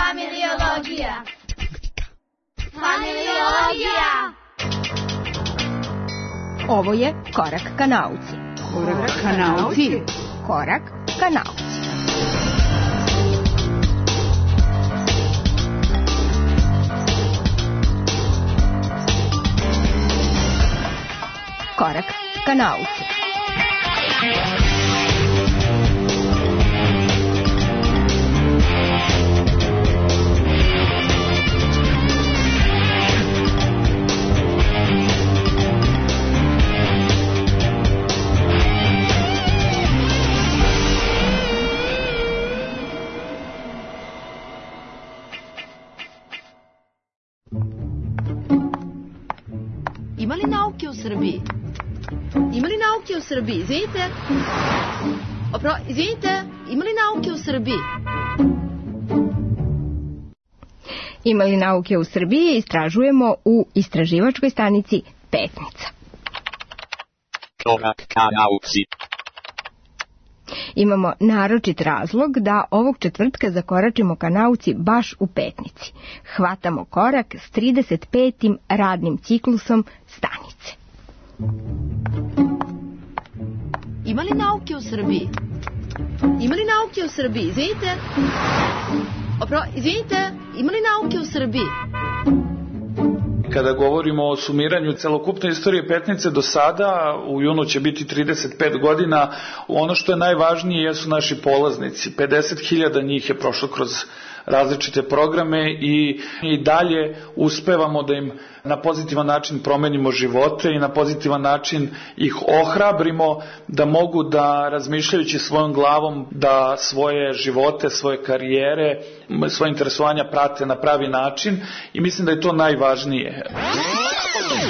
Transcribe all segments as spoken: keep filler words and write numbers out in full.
Familiologija. Familiologija. Ovo je Korak ka nauci. Korak ka nauci. Korak ka nauci. Korak ka nauci. Ima li nauke u Srbiji? Ima li nauke u Srbiji? Izvinite? Opro, izvinite? Ima li nauke u Srbiji? Ima li nauke u Srbiji? Istražujemo u istraživačkoj stanici Petnica. Korak ka nauci. Imamo naročit razlog da ovog četvrtka zakoračimo ka nauci baš u Petnici. Hvatamo korak s trideset petim radnim ciklusom stanice. Ima li nauke u Srbiji? Ima li nauke u Srbiji? Izvinite? Opro, izvinite? Ima li nauke u Srbiji? Kada govorimo o sumiranju celokupne istorije Petnice do sada, u junu će biti trideset pet godina, ono što je najvažnije jesu naši polaznici. pedeset hiljada njih je prošlo kroz različite programe i, i dalje uspevamo da im na pozitivan način promenimo živote i na pozitivan način ih ohrabrimo da mogu da, razmišljajući svojom glavom, da svoje živote, svoje karijere, svoje interesovanja prate na pravi način i mislim da je to najvažnije.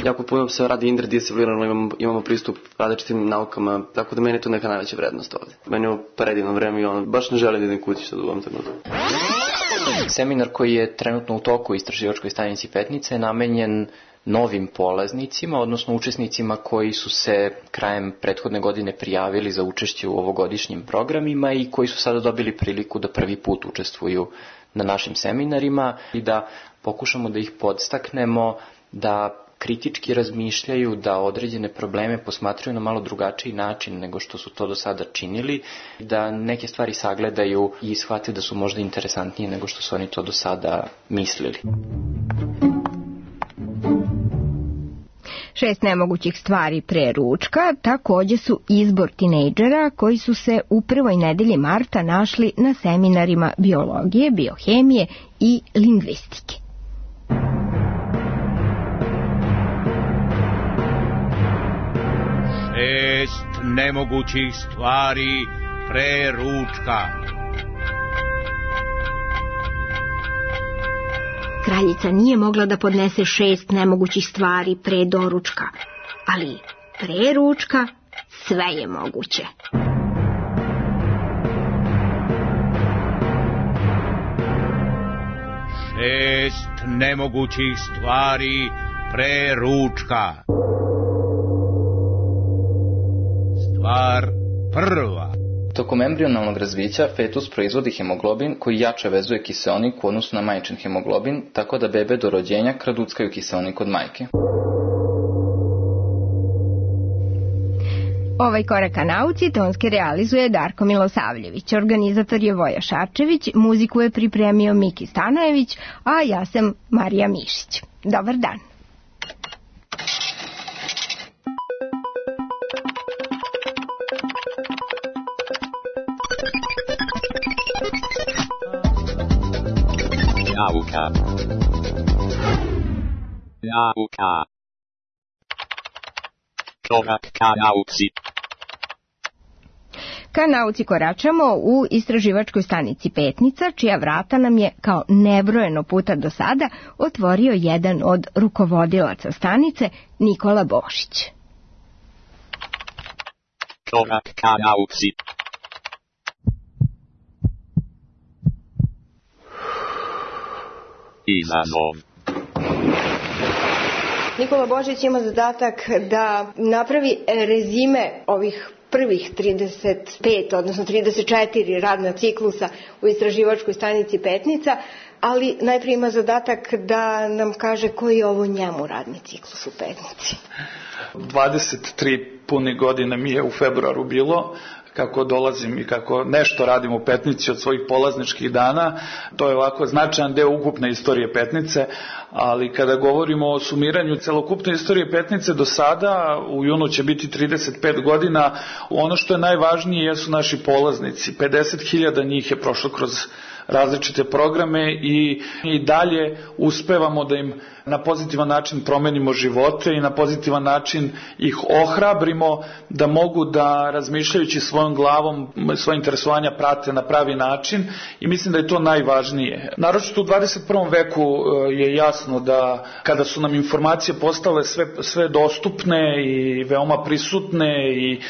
Jako puno se radi interdisciplinarno, imamo, imamo pristup različitim naukama, tako da meni je to neka najveća vrednost ovde. Meni je ovo predivno vreme i ono, baš ne želim da idem kući sad u ovom trenutku. Seminar koji je trenutno u toku u istraživačkoj stanici Petnica je namenjen novim polaznicima, odnosno učesnicima koji su se krajem prethodne godine prijavili za učešće u ovogodišnjim programima i koji su sada dobili priliku da prvi put učestvuju na našim seminarima i da pokušamo da ih podstaknemo da kritički razmišljaju, da određene probleme posmatraju na malo drugačiji način nego što su to do sada činili, da neke stvari sagledaju i shvate da su možda interesantnije nego što su oni to do sada mislili. Šest nemogućih stvari pre ručka takođe su izbor tinejdžera koji su se u prvoj nedelji marta našli na seminarima biologije, biohemije i lingvistike. Šest nemogućih stvari pre ručka. Kraljica nije mogla da podnese šest nemogućih stvari pre doručka, ali pre ručka sve je moguće. Šest nemogućih stvari pre ručka. Stvar prva. Tokom embrionalnog razvića fetus proizvodi hemoglobin koji jače vezuje kiseonik u odnosu na majčin hemoglobin, tako da bebe do rođenja kraduckaju kiseonik od majke. Ovaj korak ka nauci tonski realizuje Darko Milosavljević, organizator je Voja Šarčević, muziku je pripremio Miki Stanojević, a ja sam Marija Mišić. Dobar dan. Nauka. Nauka. Korak ka nauci. Ka nauci koračamo u istraživačkoj stanici Petnica, čija vrata nam je kao nebrojeno puta do sada otvorio jedan od rukovodilaca stanice, Nikola Bošić. Korak ka nauci. Izazov. Nikola Božić ima zadatak da napravi rezime ovih prvih trideset pet, odnosno trideset četiri radna ciklusa u istraživačkoj stanici Petnica, ali najprije ima zadatak da nam kaže koji je ovo njemu radni ciklus u Petnici. dvadeset tri pune godine mi je u februaru bilo, kako dolazim i kako nešto radim u Petnici od svojih polazničkih dana. To je ovako značajan deo ukupne istorije Petnice, ali kada govorimo o sumiranju celokupne istorije Petnice do sada, u junu će biti trideset pet godina, ono što je najvažnije jesu naši polaznici. pedeset hiljada njih je prošlo kroz različite programe i, i dalje uspevamo da im na pozitivan način promenimo živote i na pozitivan način ih ohrabrimo da mogu da razmišljajući svojom glavom svoje interesovanja prate na pravi način i mislim da je to najvažnije. Naročito u dvadeset prvom veku je jasno da kada su nam informacije postale sve, sve dostupne i veoma prisutne i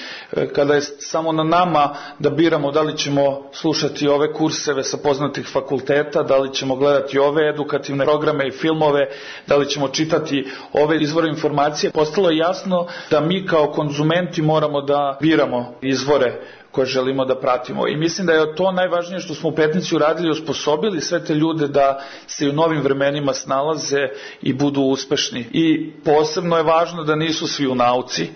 kada je samo na nama da biramo da li ćemo slušati ove kurseve sa poznatih fakulteta, da li ćemo gledati ove edukativne programe i filmove, da li ćemo čitati ove izvore informacije, postalo je jasno da mi kao konzumenti moramo da biramo izvore koje želimo da pratimo. I mislim da je to najvažnije što smo u Petnici uradili, osposobili sve te ljude da se u novim vremenima snalaze i budu uspešni. I posebno je važno da nisu svi u nauci,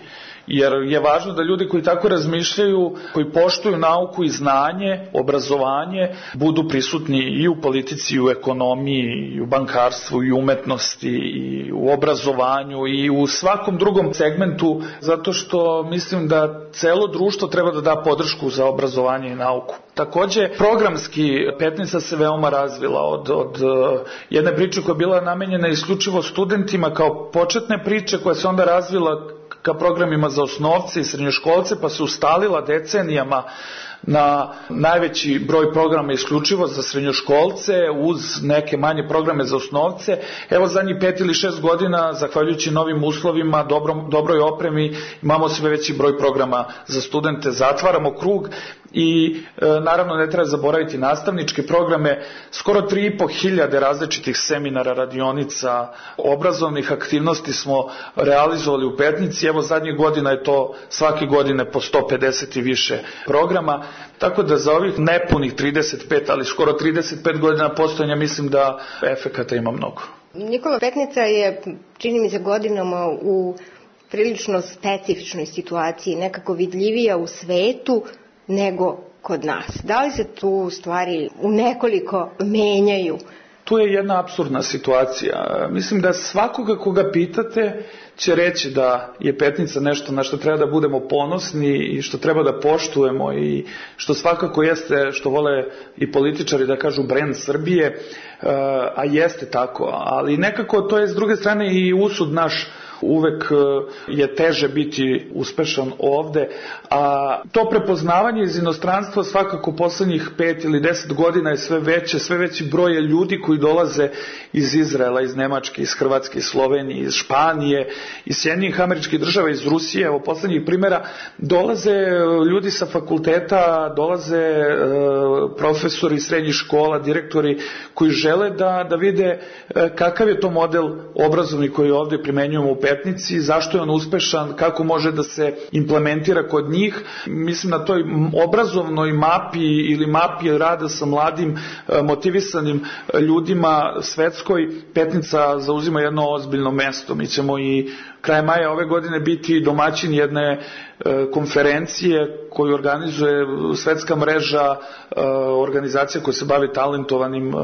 jer je važno da ljudi koji tako razmišljaju, koji poštuju nauku i znanje, obrazovanje, budu prisutni i u politici, i u ekonomiji, i u bankarstvu, i u umetnosti, i u obrazovanju, i u svakom drugom segmentu, zato što mislim da celo društvo treba da da podršku za obrazovanje i nauku. Takođe, programski Petnica se veoma razvila od, od jedne priče koja je bila namenjena isključivo studentima kao početne priče, koja se onda razvila ka programima za osnovce i srednjoškolce, pa se ustalila decenijama na najveći broj programa isključivo za srednjoškolce uz neke manje programe za osnovce. Evo zadnjih pet ili šest godina, zahvaljujući novim uslovima, dobrom, dobroj opremi, imamo sve veći broj programa za studente, zatvaramo krug i e, naravno ne treba zaboraviti nastavničke programe, skoro tri i po hiljade različitih seminara, radionica, obrazovnih aktivnosti smo realizovali u Petnici. Evo zadnjih godina je to svake godine po sto pedeset i više programa, tako da za ovih nepunih trideset pet, ali skoro trideset pet godina postojanja mislim da efekata ima mnogo. Nikola, Petnica je, čini mi se, godinama u prilično specifičnoj situaciji, nekako vidljivija u svetu nego kod nas. Da li se tu stvari u nekoliko menjaju? Tu je jedna apsurdna situacija. Mislim da svakoga koga pitate će reći da je Petnica nešto na što treba da budemo ponosni i što treba da poštujemo i što svakako jeste, što vole i političari da kažu, brend Srbije, a jeste tako. Ali nekako to je s druge strane i usud naš. Uvek je teže biti uspešan ovde, a to prepoznavanje iz inostranstva svakako poslednjih pet ili deset godina je sve veće, sve veći broj je ljudi koji dolaze iz Izraela, iz Nemačke, iz Hrvatske, iz Slovenije, iz Španije, iz Sjedinjenih Američkih Država, iz Rusije. Evo poslednjih primjera, dolaze ljudi sa fakulteta, dolaze e, profesori srednjih škola, direktori koji žele da, da vide e, kakav je to model obrazovni koji ovde primenjujemo u Petnici, zašto je on uspešan, kako može da se implementira kod njih. Mislim na toj obrazovnoj mapi ili mapi rada sa mladim motivisanim ljudima svetskoj, Petnica zauzima jedno ozbiljno mesto. Mi ćemo i krajem maja ove godine biti domaćin jedne konferencije koju organizuje svetska mreža organizacija koja se bavi talentovanim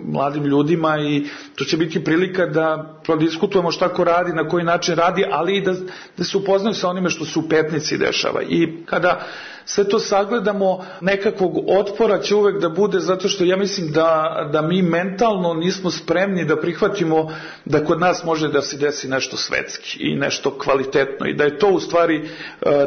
mladim ljudima i to će biti prilika da prodiskutujemo šta ko radi, na koji način radi, ali i da, da se upoznaju sa onime što se u Petnici dešava. I kada sve to sagledamo, nekakvog otpora će uvek da bude, zato što ja mislim da, da mi mentalno nismo spremni da prihvatimo da kod nas može da se desi nešto svetski i nešto kvalitetno i da je to u stvari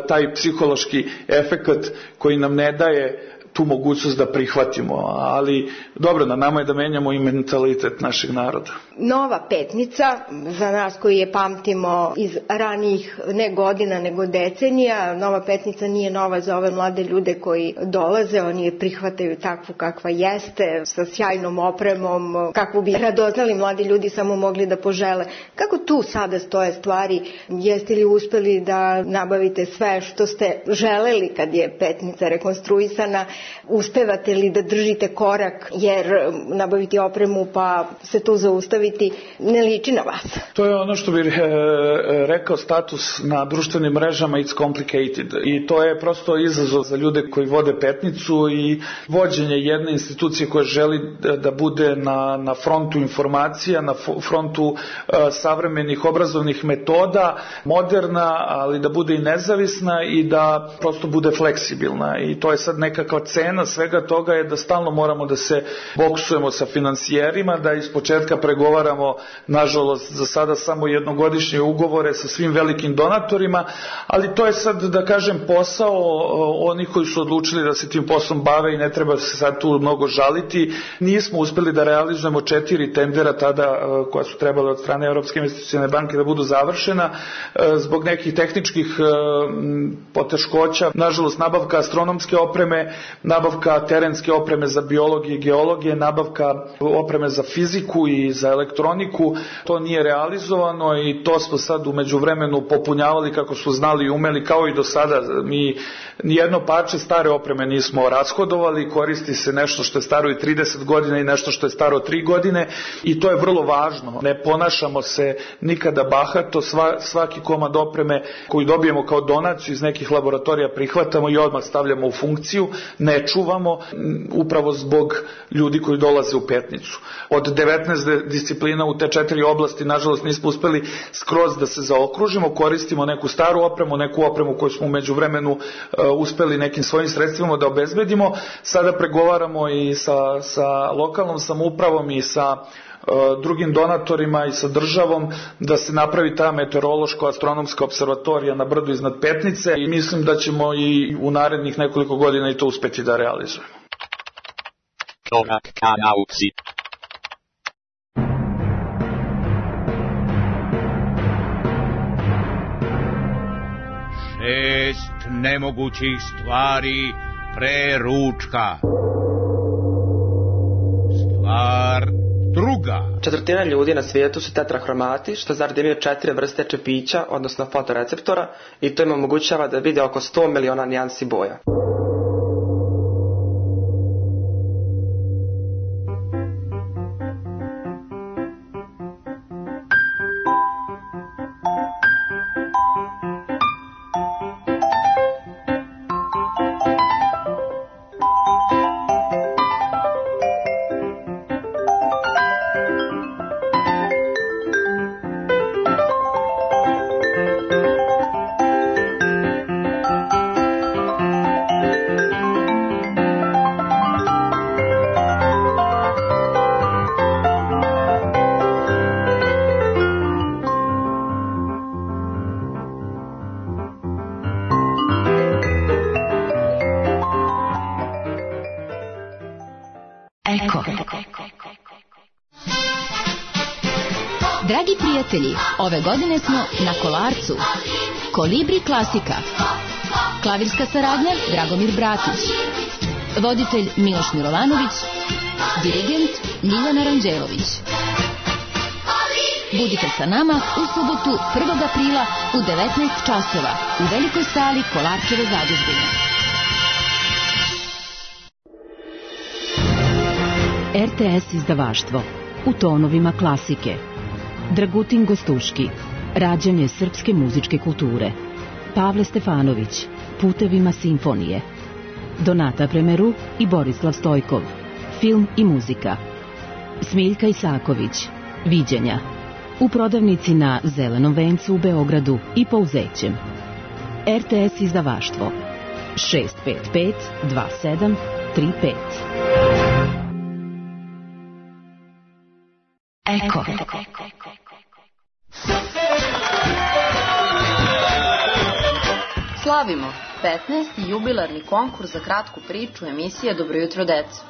taj psihološki efekat koji nam ne daje tu mogućnost da prihvatimo, ali dobro, na nama je da menjamo i mentalitet našeg naroda. Nova Petnica, za nas koji je pamtimo iz ranijih ne godina nego decenija, Nova Petnica nije nova za ove mlade ljude koji dolaze, oni je prihvataju takvu kakva jeste, sa sjajnom opremom, kakvu bi radoznali mladi ljudi samo mogli da požele. Kako tu sada stoje stvari? Jeste li uspeli da nabavite sve što ste želeli kad je Petnica rekonstruisana? Uspevate li da držite korak, jer nabaviti opremu pa se tu zaustaviti ne liči na vas? To je ono što bih e, rekao status na društvenim mrežama it's complicated i to je prosto izazov za ljude koji vode Petnicu i vođenje jedne institucije koja želi da, da bude na, na frontu informacija, na frontu e, savremenih obrazovnih metoda, moderna, ali da bude i nezavisna i da prosto bude fleksibilna i to je sad nekakva cena svega toga je da stalno moramo da se boksujemo sa finansijerima, da iz početka pregovaramo, nažalost, za sada samo jednogodišnje ugovore sa svim velikim donatorima, ali to je sad, da kažem, posao onih koji su odlučili da se tim poslom bave i ne treba se sad tu mnogo žaliti. Nismo uspeli da realizujemo četiri tendera tada koja su trebala od strane Evropske investicione banke da budu završena zbog nekih tehničkih poteškoća. Nažalost, nabavka astronomske opreme, nabavka terenske opreme za biologije i geologije, nabavka opreme za fiziku i za elektroniku, to nije realizovano i to smo sad u međuvremenu popunjavali kako smo znali i umeli, kao i do sada. Mi nijedno parče stare opreme nismo rashodovali, koristi se nešto što je staro i trideset godina i nešto što je staro tri godine i to je vrlo važno. Ne ponašamo se nikada bahato, Sva, svaki komad opreme koji dobijemo kao donaciju iz nekih laboratorija prihvatamo i odmah stavljamo u funkciju, ne čuvamo, upravo zbog ljudi koji dolaze u Petnicu. Od devetnaest disciplina u te četiri oblasti, nažalost, nismo uspeli skroz da se zaokružimo, koristimo neku staru opremu, neku opremu koju smo u međuvremenu uh, uspeli nekim svojim sredstvima da obezbedimo. Sada pregovaramo i sa, sa lokalnom samoupravom i sa drugim donatorima i sa državom da se napravi ta meteorološko-astronomska observatorija na brdu iznad Petnice i mislim da ćemo i u narednih nekoliko godina i to uspeti da realizujemo. Korak ka nauci. Šest nemogućih stvari pre ručka. Stvar druga. Četvrtina ljudi na svijetu su tetrahromati, što znači imaju četiri vrste čepića, odnosno fotoreceptora, i to im omogućava da vide oko sto miliona nijansi boja. Dragi prijatelji, ove godine smo na Kolarcu. Kolibri klasika. Klavirska saradnja Dragomir Bratić. Voditelj Miloš Milovanović. Dirigent Miljana Ranđelović. Budite sa nama u subotu prvog aprila u devetnaest časova u velikoj sali Kolarčeve zadužbine. R T S izdavaštvo u tonovima klasike. Dragutin Gostuški, rađanje srpske muzičke kulture. Pavle Stefanović, putevima simfonije. Donata Premeru i Borislav Stojkov, film i muzika. Smiljka Isaković, viđenja. U prodavnici na Zelenom vencu u Beogradu i Pouzećem. R T S izdavaštvo šest pet pet dva sedam tri pet. Eko. Slavimo petnaesti jubilarni konkurs za kratku priču emisije Dobro jutro deco.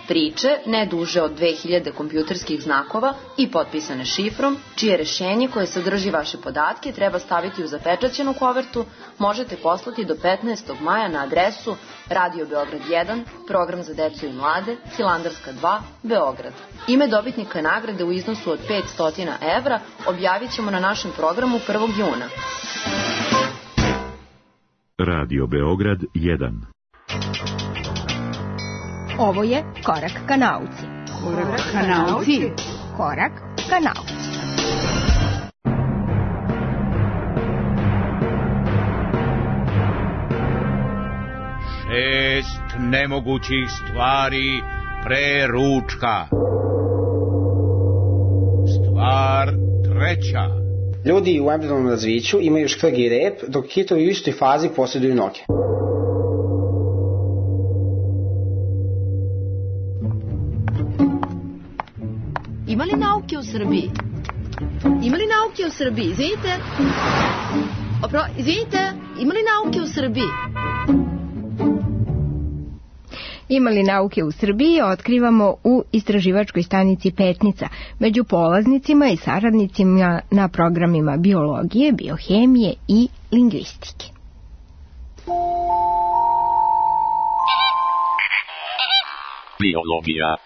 Priče, ne duže od dve hiljade kompjuterskih znakova i potpisane šifrom, čije rešenje koje sadrži vaše podatke treba staviti u zapečaćenu kovertu, možete poslati do petnaestog maja na adresu Radio Beograd jedan, program za decu i mlade, Hilandarska dva, Beograd. Ime dobitnika nagrade u iznosu od petsto evra objavit ćemo na našem programu prvog juna. Radio Beograd jedan. Ovo je Korak ka nauci. Korak ka nauci. Korak ka nauci. Šest nemogućih stvari pre ručka. Stvar treća. Ljudi u embrionalnom razviću imaju škrg i rep, dok kitovi u istoj fazi posjeduju noge. Ima li nauke u Srbiji? Ima li nauke u Srbiji? Izvinite. Opro, izvinite, ima li nauke u Srbiji? Ima li nauke u Srbiji otkrivamo u istraživačkoj stanici Petnica među polaznicima i saradnicima na programima biologije, biohemije i lingvistike. Biologija.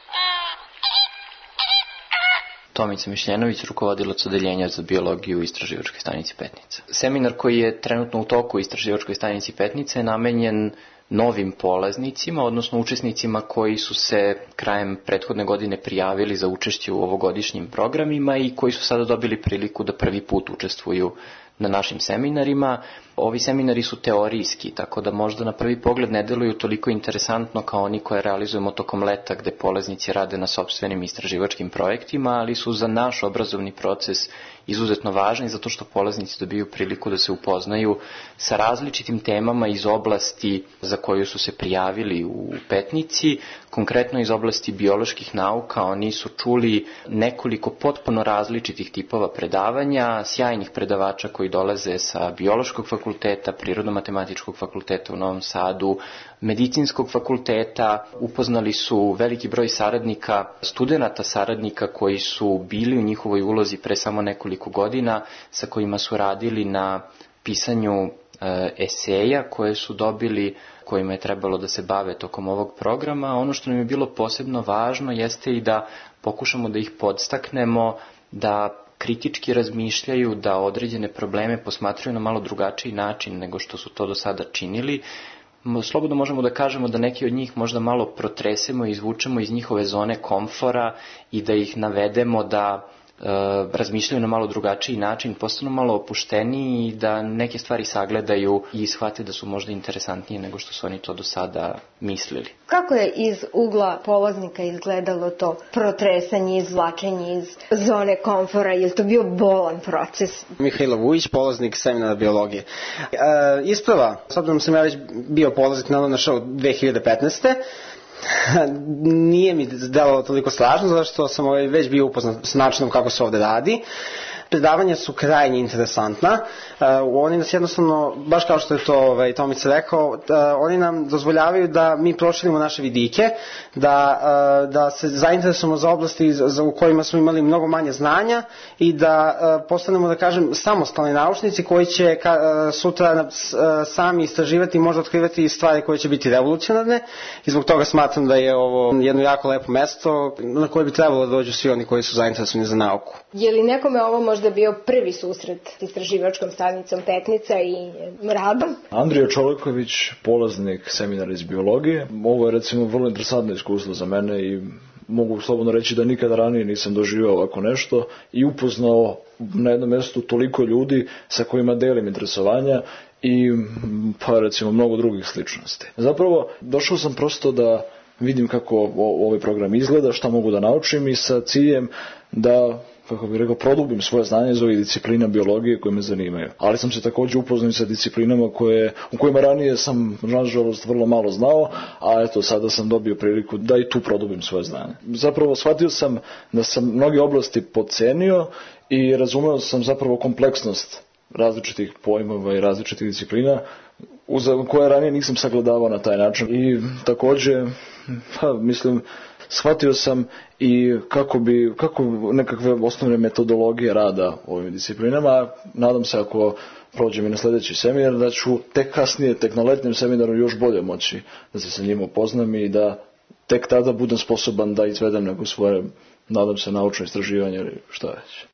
Tomica Mišljenović, rukovodilac odeljenja za biologiju u istraživačkoj stanici Petnica. Seminar koji je trenutno u toku u istraživačkoj stanici Petnica je namenjen novim polaznicima, odnosno učesnicima koji su se krajem prethodne godine prijavili za učešće u ovogodišnjim programima i koji su sada dobili priliku da prvi put učestvuju na našim seminarima. Ovi seminari su teorijski, tako da možda na prvi pogled ne deluju toliko interesantno kao oni koje realizujemo tokom leta gde polaznici rade na sopstvenim istraživačkim projektima, ali su za naš obrazovni proces izuzetno važni zato što polaznici dobiju priliku da se upoznaju sa različitim temama iz oblasti za koju su se prijavili u Petnici, konkretno iz oblasti bioloških nauka. Oni su čuli nekoliko potpuno različitih tipova predavanja, sjajnih predavača koji dolaze sa biološkog fakulteta, prirodno-matematičkog fakulteta u Novom Sadu, medicinskog fakulteta, upoznali su veliki broj saradnika, studenata saradnika koji su bili u njihovoj ulozi pre samo nekoliko godina, sa kojima su radili na pisanju e, eseja koje su dobili, kojima je trebalo da se bave tokom ovog programa. Ono što nam je bilo posebno važno jeste i da pokušamo da ih podstaknemo da kritički razmišljaju, da određene probleme posmatraju na malo drugačiji način nego što su to do sada činili. Slobodno možemo da kažemo da neki od njih možda malo protresemo i izvučemo iz njihove zone komfora i da ih navedemo da e, razmišljaju na malo drugačiji način, postanu malo opušteniji i da neke stvari sagledaju i shvate da su možda interesantnije nego što su oni to do sada mislili. Kako je iz ugla polaznika izgledalo to protresanje, izvlačenje iz zone komfora? Je li to bio bolan proces? Mihajlo Vujić, polaznik seminara biologije. E, isprava, s obzirom sam ja već bio polaznik na našao dve hiljade petnaeste. Nije mi delovalo toliko strašno, zato što sam ovaj već bio upoznat s načinom kako se ovde radi. Predavanja su krajnje interesantna. Uh, oni nas jednostavno, baš kao što je to ovaj, Tomica rekao, uh, oni nam dozvoljavaju da mi proširimo naše vidike, da, uh, da se zainteresujemo za oblasti za, u kojima smo imali mnogo manje znanja i da uh, postanemo, da kažem, samostalni naučnici koji će ka, uh, sutra uh, sami istraživati i možda otkrivati stvari koje će biti revolucionarne i zbog toga smatram da je ovo jedno jako lepo mesto na koje bi trebalo da dođu svi oni koji su zainteresovani za nauku. Je li nekome ovo možda bio prvi susret s istraživačkom stanicom Petnica i radom? Andrija Čoleković, polaznik seminara iz biologije. Ovo je recimo vrlo interesantno iskustvo za mene i mogu slobodno reći da nikada ranije nisam doživio ovako nešto i upoznao na jednom mjestu toliko ljudi sa kojima delim interesovanja i pa recimo mnogo drugih sličnosti. Zapravo došao sam prosto da vidim kako ovaj program izgleda, šta mogu da naučim i sa ciljem da, kako bih rekao, produbim svoje znanje iz ovih disciplina biologije koje me zanimaju. Ali sam se također upoznao sa disciplinama koje, u kojima ranije sam, nažalost, vrlo malo znao, a eto, sada sam dobio priliku da i tu produbim svoje znanje. Zapravo, shvatio sam da sam mnoge oblasti podcenio i razumeo sam zapravo kompleksnost različitih pojmova i različitih disciplina koje ranije nisam sagledavao na taj način. I također, pa, mislim, shvatio sam i kako bi, kako nekakve osnovne metodologije rada u ovim disciplinama. Nadam se ako prođem i na sljedeći seminar da ću tek kasnije, tek na letnjem seminaru još bolje moći da se sa njim upoznam i da tek tada budem sposoban da izvedem neko svoje, nadam se, naučno istraživanje ili šta već.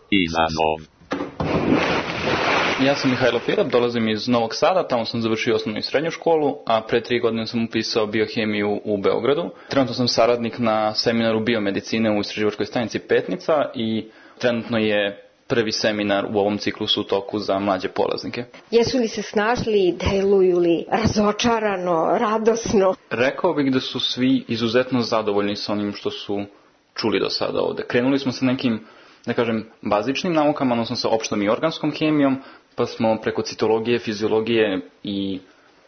Izazov. Ja sam Mihajlo Firap, dolazim iz Novog Sada, tamo sam završio osnovnu i srednju školu, a pre tri godine sam upisao biohemiju u Beogradu. Trenutno sam saradnik na seminaru biomedicine u istraživačkoj stanici Petnica i trenutno je prvi seminar u ovom ciklusu u toku za mlađe polaznike. Jesu li se snašli, deluju li razočarano, radosno? Rekao bih da su svi izuzetno zadovoljni sa onim što su čuli do sada ovde. Krenuli smo sa nekim, da kažem, bazičnim naukama, odnosno sa opštom i organskom hemijom, pa smo preko citologije, fiziologije i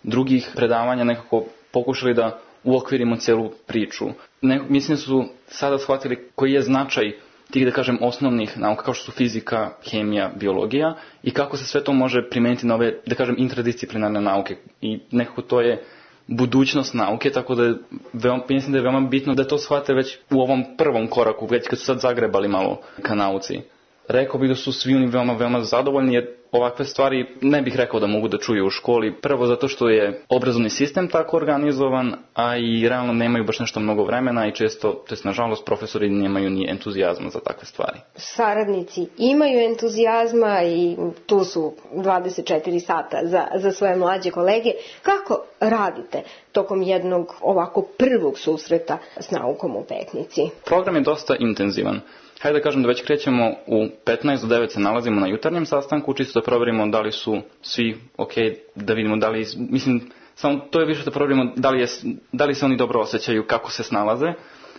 drugih predavanja nekako pokušali da uokvirimo cijelu priču. Ne, mislim da su sada shvatili koji je značaj tih, da kažem, osnovnih nauka kao što su fizika, hemija, biologija i kako se sve to može primijeniti na ove, da kažem, interdisciplinarne nauke. I nekako to je budućnost nauke, tako da je veoma, mislim da je veoma bitno da to shvate već u ovom prvom koraku, već kad su sad zagrebali malo ka nauci. Rekao bih da su svi oni veoma, veoma zadovoljni, jer ovakve stvari ne bih rekao da mogu da čuju u školi. Prvo zato što je obrazovni sistem tako organizovan, a i realno nemaju baš nešto mnogo vremena i često, to jest nažalost, profesori nemaju ni entuzijazma za takve stvari. Saradnici imaju entuzijazma i tu su dvadeset četiri sata za, za svoje mlađe kolege. Kako radite tokom jednog ovako prvog susreta s naukom u Petnici? Program je dosta intenzivan. Hajde da kažem da već krećemo u petnaest do devet se nalazimo na jutarnjem sastanku, čisto da provjerimo da li su svi ok, da vidimo da li, mislim, samo to je više da provjerimo da li, je, da li se oni dobro osjećaju, kako se snalaze.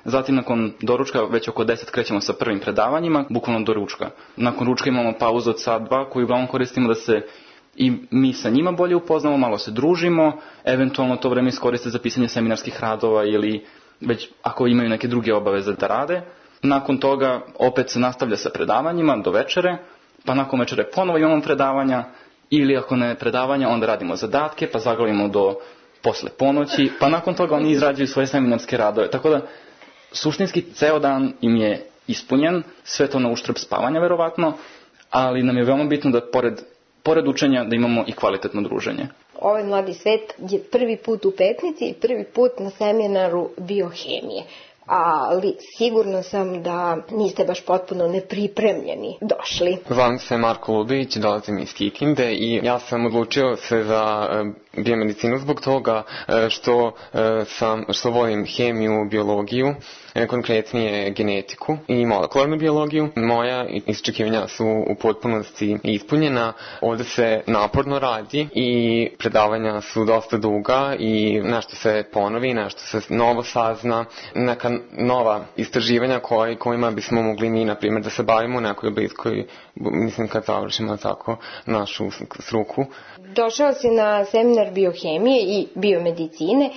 Zatim nakon doručka već oko deset krećemo sa prvim predavanjima, bukvalno do ručka. Nakon ručka imamo pauzu od sat dva koju uglavnom koristimo da se i mi sa njima bolje upoznamo, malo se družimo, eventualno to vreme iskoriste za pisanje seminarskih radova ili već ako imaju neke druge obaveze da rade. Nakon toga opet se nastavlja sa predavanjima do večere, pa nakon večere ponovo imamo predavanja ili ako ne predavanja onda radimo zadatke pa zaglavimo do posle ponoći, pa nakon toga oni izrađuju svoje seminarske radove. Tako da suštinski ceo dan im je ispunjen, sve to na uštrb spavanja verovatno, ali nam je veoma bitno da pored, pored učenja da imamo i kvalitetno druženje. Ovaj mladi svet je prvi put u Petnici i prvi put na seminaru biohemije. Ali sigurno sam da niste baš potpuno nepripremljeni došli. Zovem se Marko Ludović, dolazim iz Kikinde i ja sam odlučio se za biomedicinu zbog toga što sam, što volim hemiju, biologiju, konkretnije genetiku i molekularnu biologiju. Moja iščekivanja su u potpunosti ispunjena, ovdje se naporno radi i predavanja su dosta duga i nešto se ponovi, nešto se novo sazna, neka nova istraživanja koji, kojima bismo mogli mi, na primjer, da se bavimo u nekoj bliskoj, mislim kad završimo tako našu struku. Došao si na seminar biohemije i biomedicine,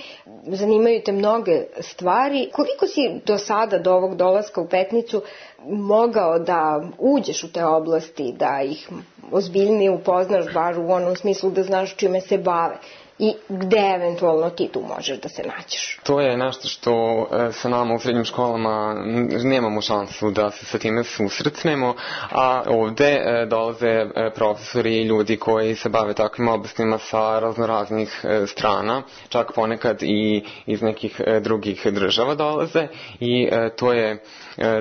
zanimaju te mnoge stvari. Koliko si do sada, do ovog dolaska u Petnicu, mogao da uđeš u te oblasti, da ih ozbiljnije upoznaš, bar u onom smislu da znaš čime se bave? I gde eventualno ti tu možeš da se nađeš? To je nešto što sa nama u srednjim školama nemamo šansu da se sa time susretnemo, a ovde dolaze profesori i ljudi koji se bave takvim oblastima sa raznoraznih strana, čak ponekad i iz nekih drugih država dolaze i to je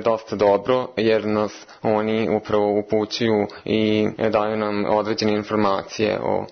dosta dobro jer nas oni upravo upućuju i daju nam određene informacije o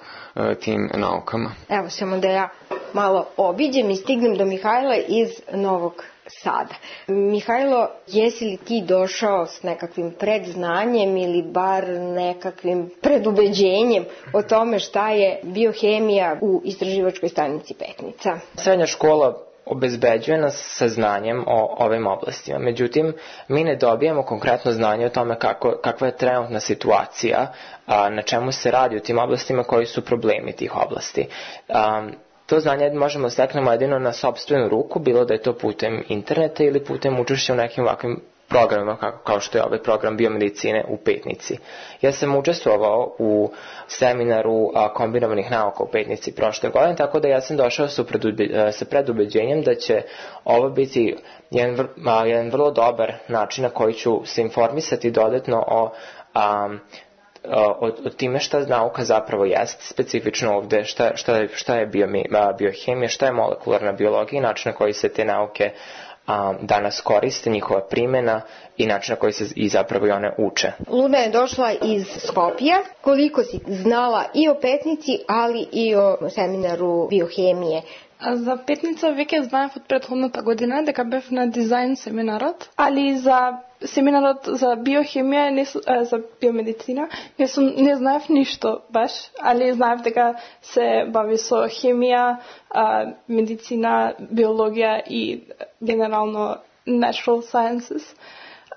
tim naukama. Evo samo da ja malo obiđem i stignem do Mihajla iz Novog Sada. Mihajlo, jesi li ti došao s nekakvim predznanjem ili bar nekakvim predubeđenjem o tome šta je biohemija u istraživačkoj stanici Petnica? Srednja škola obezbeđuje nas sa znanjem o ovim oblastima. Međutim, mi ne dobijamo konkretno znanje o tome kako, kakva je trenutna situacija, a, na čemu se radi u tim oblastima, koji su problemi tih oblasti. A, to znanje možemo steknemo jedino na sopstvenu ruku, bilo da je to putem interneta ili putem učešća u nekim ovakvim programima kao, kao što je ovaj program biomedicine u Petnici. Ja sam učestvovao u seminaru a, kombinovanih nauka u Petnici prošle godine, tako da ja sam došao sa, predube, sa predubeđenjem da će ovo biti jedan, vr, a, jedan vrlo dobar način na koji ću se informisati dodatno o a, O, o time šta nauka zapravo jest, specifično ovde šta, šta, je, šta je bio, biohemija, šta je molekularna biologija i način na koji se te nauke a, danas koriste, njihova primjena i način na koji se i zapravo i one uče. Luna je došla iz Skopja. Koliko si znala i o Petnici, ali i o seminaru biohemije? За Петница веќе знаев од претходната година дека бев на дизајн семинарот, али за семинарот за биохемија, не, за биомедицина, не, сум, не знаев ништо баш, али знаев дека се бави со хемија, медицина, биологија и генерално natural sciences.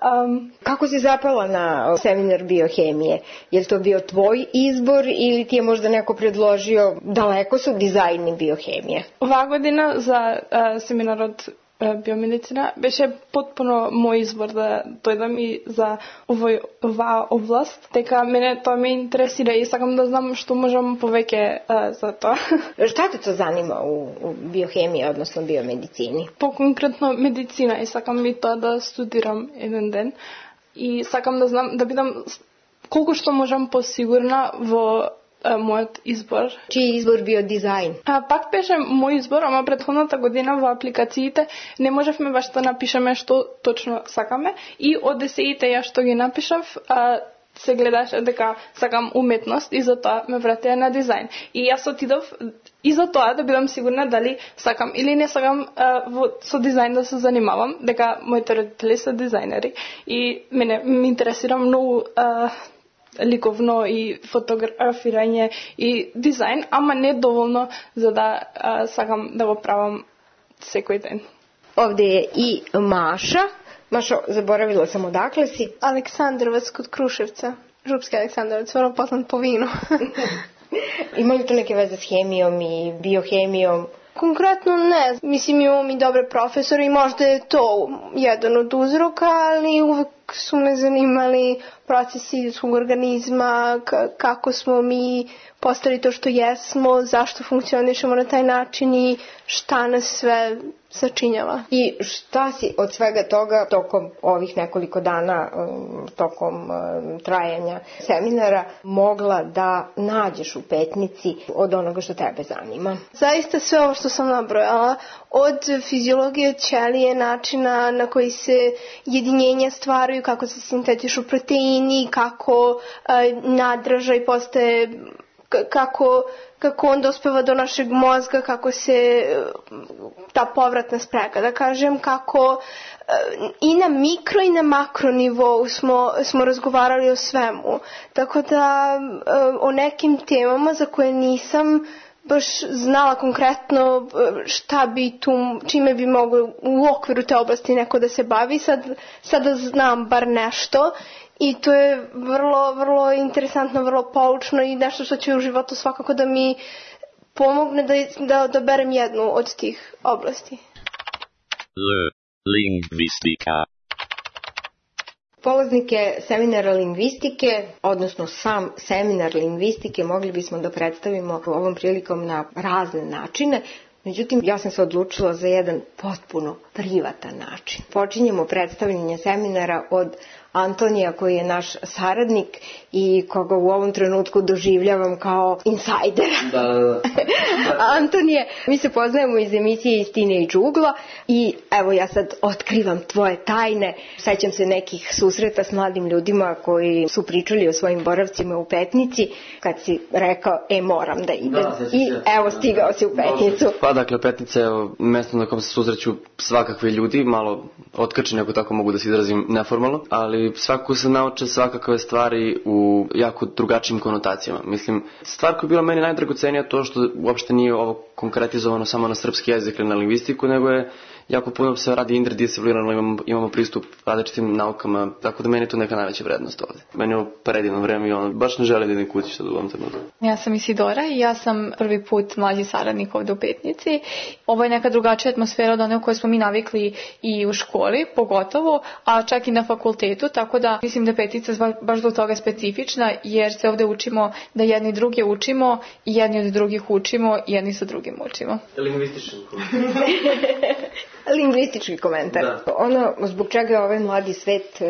Um, Kako si zapala na seminar biohemije? Je li to bio tvoj izbor ili ti je možda neko predložio? Daleko su dizajni biohemije. Ова година за uh, семинарот uh, биомедицина беше потпуно мој избор да дојдам и за овој, оваа област. Дека мене тоа ме интересира и сакам да знам што можам повеќе uh, за тоа. Šta te to zanima u, u biohemiji, odnosno biomedicini? По-конкретно медицина и сакам и тоа да студирам еден ден. И сакам да знам, да бидам колку што можам посигурна во а, мојот избор. Чиј избор био дизајн? А, пак беше мој избор, ама претходната година во апликациите не можевме баш да напишеме што точно сакаме и од есеите ја што ги напишав, а, се гледаше дека сакам уметност и затоа ме вратија на дизајн. И јас отидов и за тоа да бидам сигурна дали сакам или не сакам а, во, со дизајн да се занимавам, дека моите родители се дизајнери и мене ме интересира многу а, ликовно и фотографирање и дизајн, ама не доволно за да а, сакам да го правам секој ден. Овде е и Маша. Mašo, zaboravila sam odakle si? Aleksandrovac kod Kruševca. Župski Aleksandrovac, vrlo poznat po vinu. Ima li to neke veze s hemijom i biohemijom? Konkretno ne. Mislim, imamo i dobre profesore i možda je to jedan od uzroka, ali uvek su me zanimali procesi ljudskog organizma, kako smo mi postali to što jesmo, zašto funkcionišemo na taj način i šta nas sve sačinjava. I šta si od svega toga tokom ovih nekoliko dana, tokom trajanja seminara, mogla da nađeš u Petnici od onoga što tebe zanima? Zaista sve ovo što sam nabrojala, od fiziologije ćelije, načina na koji se jedinjenja stvaraju, kako se sintetišu proteini, kako nadražaj postaje, kako, kako on dospeva do našeg mozga, kako se ta povratna sprega, da kažem, kako i na mikro i na makro nivou smo, smo razgovarali o svemu. Tako da o nekim temama za koje nisam baš znala konkretno šta bi tu, čime bi moglo u okviru te oblasti neko da se bavi, sad, sada znam bar nešto. I to je vrlo, vrlo interesantno, vrlo poučno i nešto što će u životu svakako da mi pomogne da, da odaberem jednu od tih oblasti. L. Lingvistika. Polaznike seminara lingvistike, odnosno sam seminar lingvistike, mogli bismo da predstavimo ovom prilikom na razne načine. Međutim, ja sam se odlučila za jedan potpuno privatan način. Počinjemo predstavljanje seminara od Antonija, koji je naš saradnik i koga u ovom trenutku doživljavam kao insajdera. Da, da, da. Antonije, mi se poznajemo iz emisije Istine i džugla i evo ja sad otkrivam tvoje tajne. Sećam se nekih susreta s mladim ljudima koji su pričali o svojim boravcima u Petnici, kad si rekao, e moram da idem. Da, i evo stigao si u Petnicu. Pa dakle, Petnica je mesto na kom se susreću svakakve ljudi, malo otkačeni ako tako mogu da se izrazim neformalno, ali svakako se nauče svakakve stvari u jako drugačijim konotacijama. Mislim, stvar koja je bila meni najdragocenija to što uopšte nije ovo konkretizovano samo na srpski jezik ili na lingvistiku, nego je jako puno se radi interdisciplinarno, imamo, imamo pristup različitim naukama, tako da meni je to neka najveća vrednost ovde. Meni je predivno vreme i ono, baš ne želim da idem kući sad u ovom trenutku. Ja sam Isidora i ja sam prvi put mlađi saradnik ovde u Petnici. Ovo je neka drugačija atmosfera od one u kojoj smo mi navikli i u školi, pogotovo, a čak i na fakultetu, tako da mislim da je Petnica baš zbog toga specifična, jer se ovde učimo da jedni druge učimo i jedni od drugih učimo i jedni sa drugim učimo. Lingvistički Lingvistički komentar. Da. Ono zbog čega je ovaj mladi svet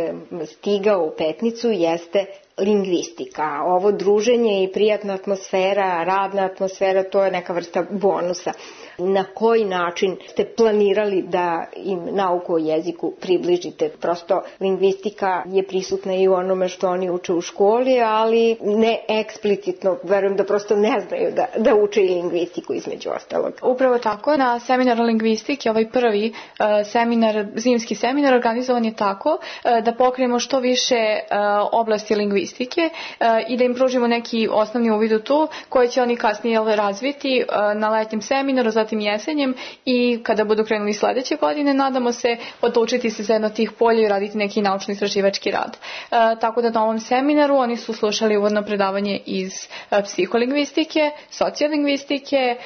stigao u Petnicu jeste lingvistika. Ovo druženje i prijatna atmosfera, radna atmosfera, to je neka vrsta bonusa. Na koji način ste planirali da im nauku o jeziku približite? Prosto lingvistika je prisutna i u onome što oni uče u školi, ali ne eksplicitno, verujem da prosto ne znaju da, da uče i lingvistiku između ostalog. Upravo tako, na seminaru lingvistike, ovaj prvi uh, seminar, zimski seminar organizovan je tako uh, da pokrijemo što više uh, oblasti lingvistike uh, i da im pružimo neki osnovni uvid u to koje će oni kasnije razviti uh, na letnjem seminaru, zatim jesenjem i kada budu krenuli sledeće godine, nadamo se odlučiti se za jedno tih polja i raditi neki naučno-istraživački rad. E, tako da na ovom seminaru oni su slušali uvodno predavanje iz e, psiholingvistike, sociolingvistike, e,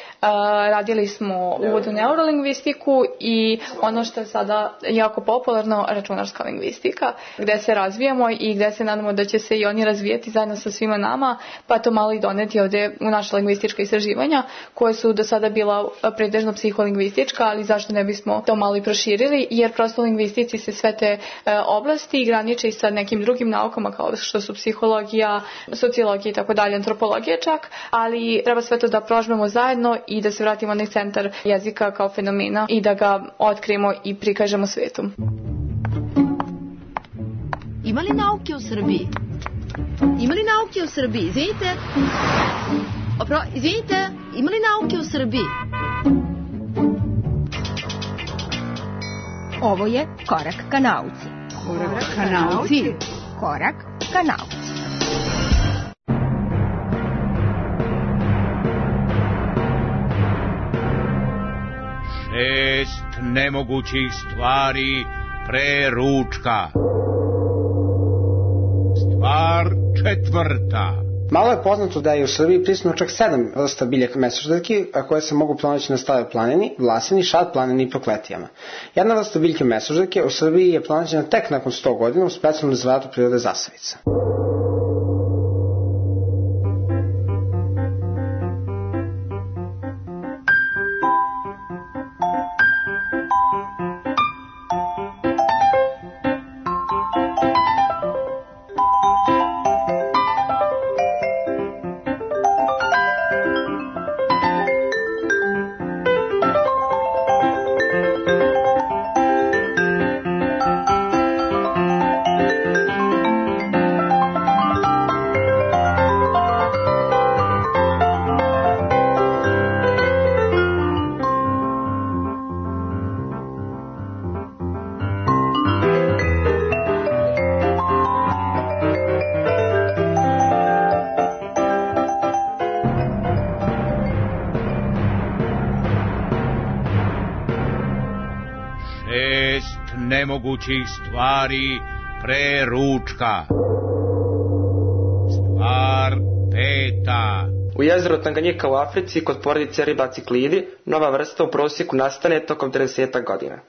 radili smo uvodnu neurolingvistiku i ono što je sada jako popularno, računarska lingvistika, gde se razvijamo i gde se nadamo da će se i oni razvijati zajedno sa svima nama, pa to malo i doneti ovde u naše lingvistička istraživanja, koje su do sada bila pretežno psiholingvistička, ali zašto ne bismo to malo i proširili, jer prosto u lingvistici se sve te e, oblasti graniče i sa nekim drugim naukama kao što su psihologija, sociologija i tako dalje, antropologija čak, ali treba sve to da prožmemo zajedno i da se vratimo na centar jezika kao fenomena i da ga otkrijemo i prikažemo svetu. Ima li nauke u Srbiji? Ima li nauke u Srbiji? Izvinite. Opro, izvinite, ima li nauke u Srbiji? Ovo je Korak ka nauci. Korak ka nauci. Korak ka nauci. Šest nemogućih stvari pre ručka. Stvar četvrta. Malo je poznato da je u Srbiji prisutno čak sedam vrsta biljaka mesoždeljki, a koje se mogu pronaći na Staroj planini, Vlasini, Šad planini i Prokletijama. Jedna vrsta biljke mesoždeljke u Srbiji je pronađena tek nakon sto godina u specijalnom rezervatu prirode Zasavica. Nemogućih stvari pre ručka. Stvar peta. U jezeru Tanganjika u Africi kod porodice ribaciklidi nova vrsta u prosjeku nastane tokom trideset godina.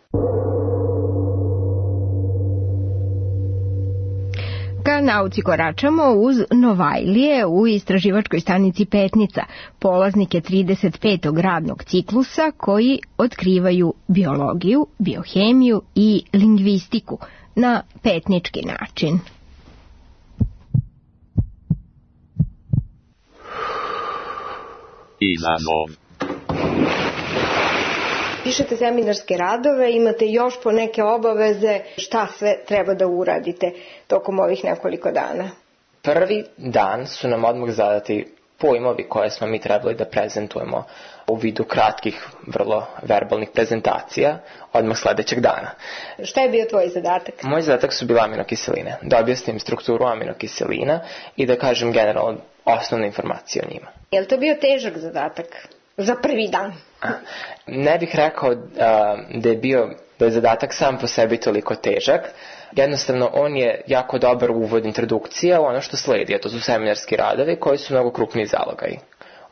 Ka nauci koračamo uz Novajlije u istraživačkoj stanici Petnica, polaznike trideset petog radnog ciklusa koji otkrivaju biologiju, biohemiju i lingvistiku na petnički način. Izazov. Pišete seminarske radove, imate još po neke obaveze, šta sve treba da uradite tokom ovih nekoliko dana? Prvi dan su nam odmah zadati pojmovi koje smo mi trebali da prezentujemo u vidu kratkih, vrlo verbalnih prezentacija odmah sledećeg dana. Šta je bio tvoj zadatak? Moj zadatak su bile aminokiseline, da objasnim strukturu aminokiselina i da kažem generalno osnovne informacije o njima. Je li to bio težak zadatak? za prvi dan? Ne bih rekao da je bio da je zadatak sam po sebi toliko težak. Jednostavno, on je jako dobar uvod, introdukcija u ono što sledi, a to su seminarski radovi koji su mnogo krupniji zalogaji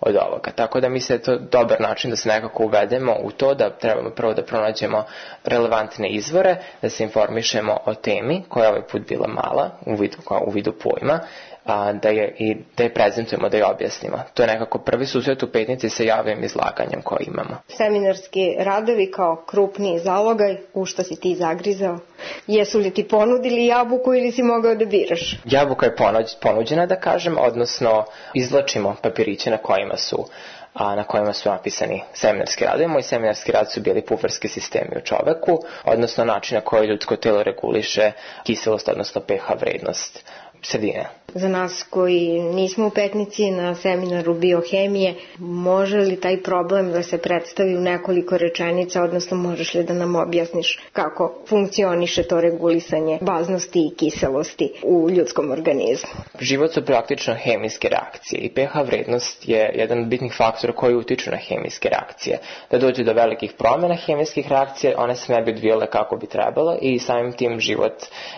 od ovoga. Tako da mislim da je to dobar način da se nekako uvedemo u to da trebamo prvo da pronađemo relevantne izvore, da se informišemo o temi koja je ovaj put bila mala u vidu, u vidu pojma, a, da, je, i, da je prezentujemo, da je objasnimo. To je nekako prvi susret u Petnici sa javnim izlaganjem koje imamo. Seminarski radovi kao krupni zalogaj, u što si ti zagrizao? Jesu li ti ponudili jabuku ili si mogao da biraš? Jabuka je ponuđena, da kažem, odnosno izvlačimo papiriće na kojima su a na kojima su napisani seminarski radovi. Moji seminarski rad su bili puferski sistemi u čoveku, odnosno način na koji ljudsko telo reguliše kiselost, odnosno pH vrednost sredine. Za nas koji nismo u Petnici na seminaru biohemije, može li taj problem da se predstavi u nekoliko rečenica, odnosno možeš li da nam objasniš kako funkcioniše to regulisanje baznosti i kiselosti u ljudskom organizmu? Život su praktično hemijske reakcije i pH vrednost je jedan od bitnih faktora koji utiču na hemijske reakcije. Da dođe do velikih promjena hemijskih reakcija, one se ne bi odvijale kako bi trebalo i samim tim život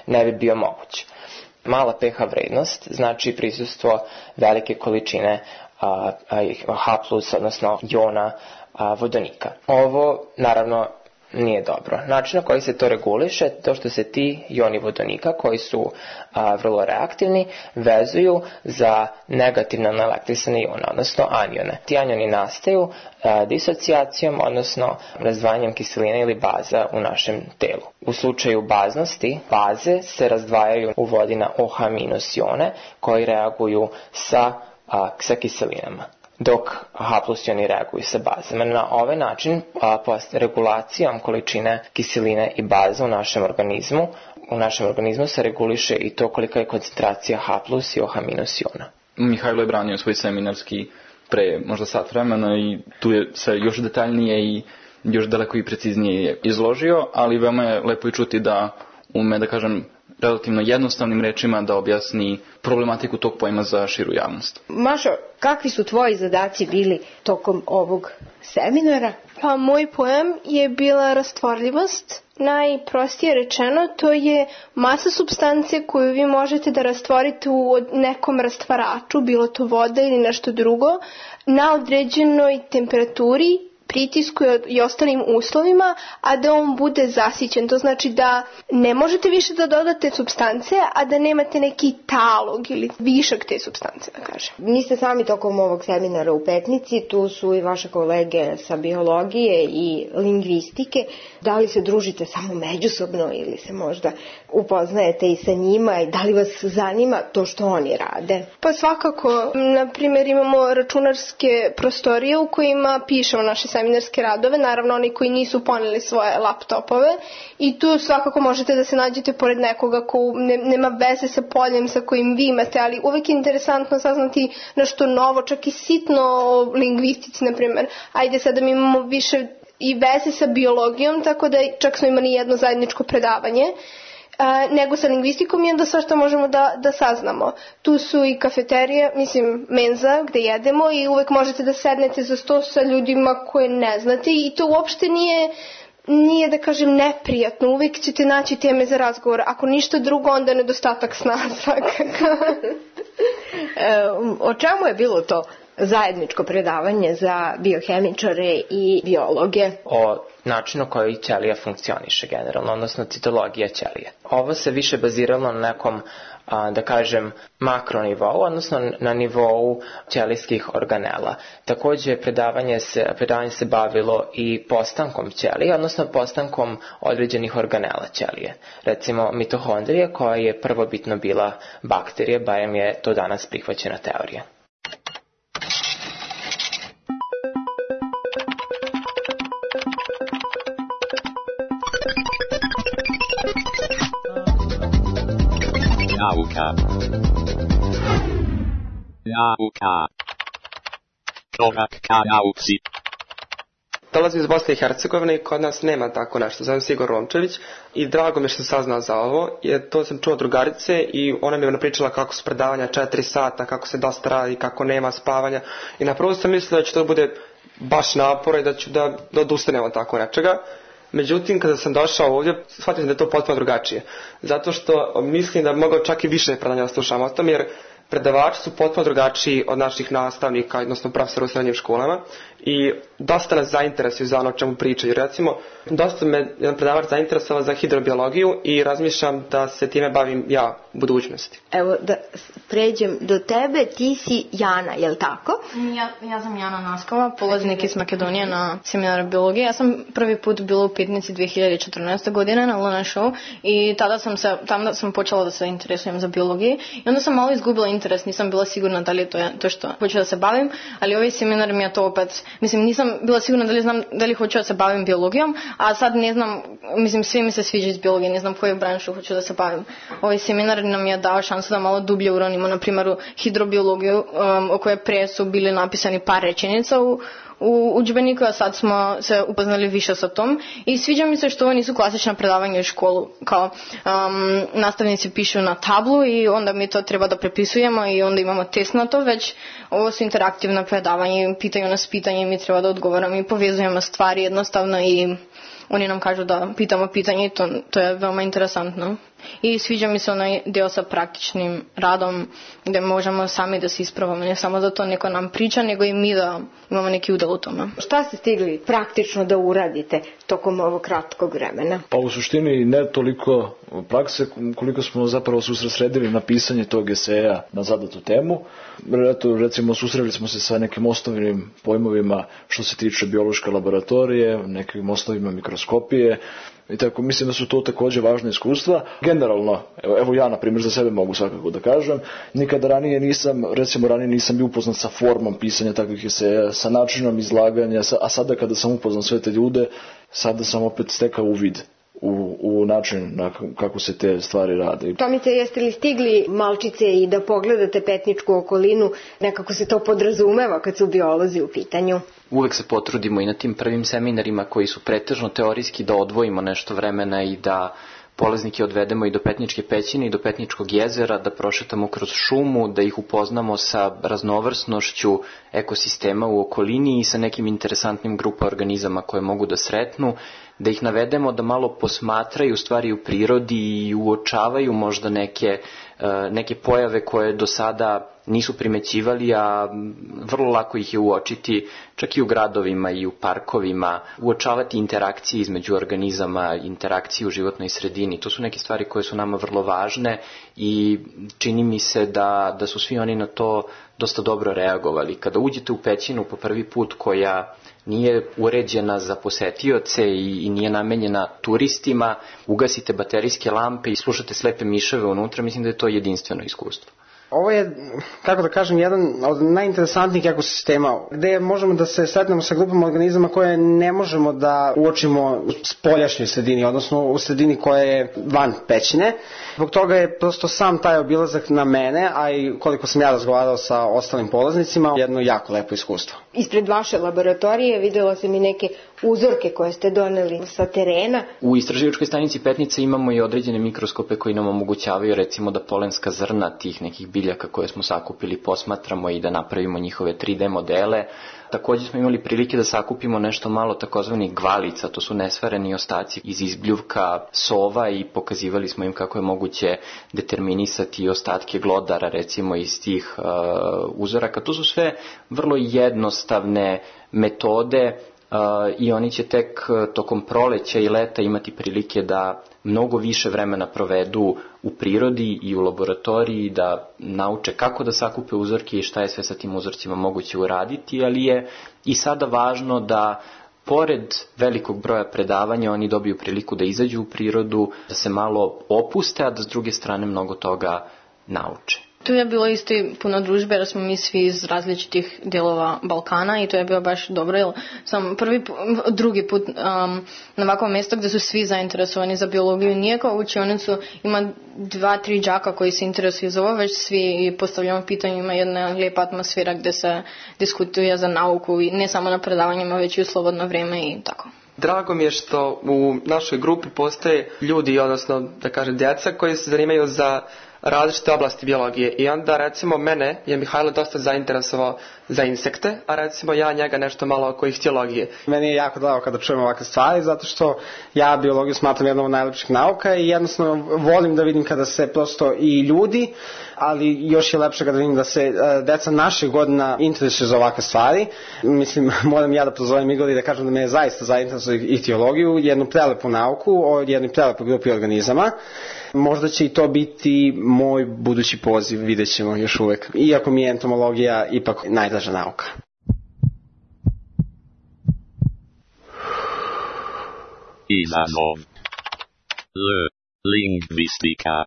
ne bi bio moguć. Mala pH vrednost znači prisustvo velike količine a, a, H plus, odnosno jona a, vodonika. Ovo naravno nije dobro. Način na koji se to reguliše, to što se ti joni vodonika, koji su a, vrlo reaktivni, vezuju za negativno naelektrisane ione, odnosno anione. Ti anioni nastaju a, disocijacijom, odnosno razdvajanjem kiseline ili baza u našem telu. U slučaju baznosti, baze se razdvajaju u vodi na O H minus ione, koji reaguju sa, a, sa kiselinama, dok H plus ioni reaguju sa bazama. Na ovaj način, a, regulacijom količine kiseline i baza u našem organizmu, u našem organizmu se reguliše i to kolika je koncentracija H plus i O H minus iona. Mihajlo je branio svoj seminarski pre možda sat vremena i tu je sve još detaljnije i još daleko i preciznije izložio, ali veoma je lepo i čuti da ume, da kažem, relativno jednostavnim rečima da objasni problematiku tog pojma za širu javnost. Mašo, kakvi su tvoji zadaci bili tokom ovog seminara? Pa moj pojam je bila rastvorljivost. Najprostije rečeno, to je masa supstance koju vi možete da rastvorite u nekom rastvaraču, bilo to voda ili nešto drugo, na određenoj temperaturi, pritisku i ostalim uslovima, a da on bude zasićen. To znači da ne možete više da dodate supstance, a da nemate neki talog ili višak te supstance, da kažem. Niste sami tokom ovog seminara u Petnici, tu su i vaše kolege sa biologije i lingvistike. Da li se družite samo međusobno ili se možda upoznajete i sa njima i da li vas zanima to što oni rade? Pa svakako, na primjer imamo računarske prostorije u kojima pišemo naše seminarske radove, naravno oni koji nisu poneli svoje laptopove, i tu svakako možete da se nađete pored nekoga ko ne, nema veze sa poljem sa kojim vi imate, ali uvek je interesantno saznati nešto novo, čak i sitno o lingvistici, na primjer. Ajde sada mi imamo više i veze sa biologijom, tako da čak smo imali jedno zajedničko predavanje, a, nego sa lingvistikom i onda sve što možemo da, da saznamo. Tu su i kafeterije, mislim menza gde jedemo i uvek možete da sednete za sto sa ljudima koje ne znate i to uopšte nije, nije da kažem neprijatno, uvek ćete naći teme za razgovor, ako ništa drugo onda nedostatak sna svakako. e, o čemu je bilo to zajedničko predavanje za biohemičare i biologe? O načinu koji ćelija funkcioniše generalno, odnosno citologija ćelije. Ovo se više baziralo na nekom, a, da kažem, makronivou, odnosno na nivou ćelijskih organela. Također predavanje se, predavanje se bavilo i postankom ćelije, odnosno postankom određenih organela ćelije. Recimo mitohondrije, koja je prvobitno bila bakterije, barem je to danas prihvaćena teorija. Nauka. Nauka. Korak ka nauci. Dolazim iz Bosne i Hercegovine i kod nas nema tako nešto. Zovem se Igor Romčević i drago mi je što sam saznao za ovo. Jer to sam čuo od drugarice i ona mi je napričala kako su predavanja četiri sata, kako se dosta radi, kako nema spavanja. I na prvu sam mislio da će to bude baš napora i da ću da, da odustanem od tako nečega. Međutim, kada sam došao ovdje, shvatio sam da je to potpuno drugačije. Zato što mislim da bi mogao čak i više predanja slušam o tom, jer predavači su potpuno drugačiji od naših nastavnika, odnosno profesora u srednjim školama i dosta nas zainteresuju za ono o čemu pričaju. Recimo, dosta me jedan predavač zainteresovao za hidrobiologiju i razmišljam da se time bavim ja u budućnosti. Evo, da pređem do tebe, ti si Jana, je li tako? Ja, ja sam Jana Naskova, polaznik iz Makedonije na seminaru biologije. Ja sam prvi put bila u Petnici dve hiljade četrnaeste. godine na Luna Show i tada sam se, tamo sam počela da se interesujem za biologiju i onda sam malo izgubila interes, nisam bila sigurna da li je to, to što hoću da se bavim, ali ovaj seminar mi je to opet, mislim, nisam bila sigurna da li znam da li hoću da se bavim biologijom, a sad ne znam, mislim, sve mi se sviđa iz biologije, ne znam koju branšu hoću da se bavim. Ovaj seminar nam je dao šansu da malo dublje uronimo, na primjer, u hidrobiologiju, um, o kojoj pre su bili napisani par rečenica u u udžbeniku, a sad smo se upoznali više sa tom i sviđa mi se što ovo nisu klasična predavanja u školu, kao um, nastavnici pišu na tablu i onda mi to treba da prepisujemo i onda imamo test na to, već ovo su interaktivna predavanja, pitaju nas pitanje i mi treba da odgovaramo i povezujemo stvari jednostavno i oni nam kažu da pitamo pitanje i to, to je veoma interesantno. I sviđa mi se onaj deo sa praktičnim radom gdje možemo sami da se ispravamo, ne samo da to neko nam priča, nego i mi da imamo neki udel u tome. Šta ste stigli praktično da uradite tokom ovog kratkog vremena? Pa u suštini ne toliko prakse koliko smo zapravo se usredsredili na pisanje tog eseja na zadatu temu. Eto, recimo susreli smo se sa nekim osnovnim pojmovima što se tiče biološke laboratorije, nekim osnovima mikroskopije. I tako, mislim da su to također važne iskustva. Generalno, evo, evo ja na primjer za sebe mogu svakako da kažem, nikada ranije nisam, recimo ranije nisam bio upoznat sa formom pisanja takvih eseja, sa načinom izlaganja, a sada kada sam upoznat sve te ljude, sada sam opet stekao uvid u, u način na kako se te stvari rade. Tomice, jeste li stigli malčice i da pogledate Petničku okolinu, nekako se to podrazumeva kad su biolozi u pitanju? Uvek se potrudimo i na tim prvim seminarima koji su pretežno teorijski da odvojimo nešto vremena i da polaznike odvedemo i do Petničke pećine i do Petničkog jezera, da prošetamo kroz šumu, da ih upoznamo sa raznovrsnošću ekosistema u okolini i sa nekim interesantnim grupa organizama koje mogu da sretnu, da ih navedemo da malo posmatraju stvari u prirodi i uočavaju možda neke, neke pojave koje do sada nisu primećivali, a vrlo lako ih je uočiti čak i u gradovima i u parkovima, uočavati interakcije između organizama, interakcije u životnoj sredini. To su neke stvari koje su nama vrlo važne i čini mi se da, da su svi oni na to dosta dobro reagovali. Kada uđete u pećinu po prvi put koja nije uređena za posetioce i, i nije namenjena turistima, ugasite baterijske lampe i slušate slepe miševe unutra, mislim da je to jedinstveno iskustvo. Ovo je, kako da kažem, jedan od najinteresantnijih ekosistema gde možemo da se sretnemo sa grupama organizama koje ne možemo da uočimo u spoljašnjoj sredini, odnosno u sredini koja je van pećine. Zbog toga je prosto sam taj obilazak na mene, a i koliko sam ja razgovarao sa ostalim polaznicima, jedno jako lepo iskustvo. Ispred vaše laboratorije videla sam i neke uzorke koje ste doneli sa terena. U istraživačkoj stanici Petnica imamo i određene mikroskope koji nam omogućavaju recimo da polenska zrna tih nekih biljaka koje smo sakupili posmatramo i da napravimo njihove tri D modele. Također smo imali prilike da sakupimo nešto malo takozvanih gvalica, to su nesvareni ostaci iz izbljuvka sova i pokazivali smo im kako je moguće determinisati ostatke glodara recimo iz tih uh, uzoraka. To su sve vrlo jednostavne metode uh, i oni će tek tokom proleća i leta imati prilike da mnogo više vremena provedu u prirodi i u laboratoriji, da nauče kako da sakupe uzorke i šta je sve sa tim uzorcima moguće uraditi, ali je i sada važno da pored velikog broja predavanja oni dobiju priliku da izađu u prirodu, da se malo opuste, a da s druge strane mnogo toga nauče. Tu je bilo isto i puno družbe, jer smo mi svi iz različitih dijelova Balkana i to je bilo baš dobro, jer sam prvi, drugi put um, na ovakvom mjestu gdje su svi zainteresovani za biologiju. Nije kao učionicu, ima dva, tri đaka koji se interesuju za ovo, već svi postavljamo pitanje, ima jedna lijepa atmosfera gdje se diskutuje za nauku i ne samo na predavanjima, već i u slobodno vrijeme i tako. Drago mi je što u našoj grupi postoje ljudi, odnosno da kažem djeca, koji se zanimaju za različite oblasti biologije i onda recimo mene je Mihajlo dosta zainteresovao za insekte, a recimo ja njega nešto malo oko ihtiologije. Meni je jako drago kada čujem ovakve stvari, zato što ja biologiju smatram jednom od najlepših nauka i jednostavno volim da vidim kada se prosto i ljudi, ali još je lepše kada vidim da se deca naših godina interesuju za ovakve stvari. Mislim, moram ja da prozovem Igor i da kažem da me je zaista zainteresuje ihtiologiju, jednu prelepu nauku o jednoj prelepoj grupi organizama. Možda će i to biti moj budući poziv, vidjet ćemo još uvek. Iako mi je entomologija ipak najdraža nauka. Izazov. L. Lingvistika.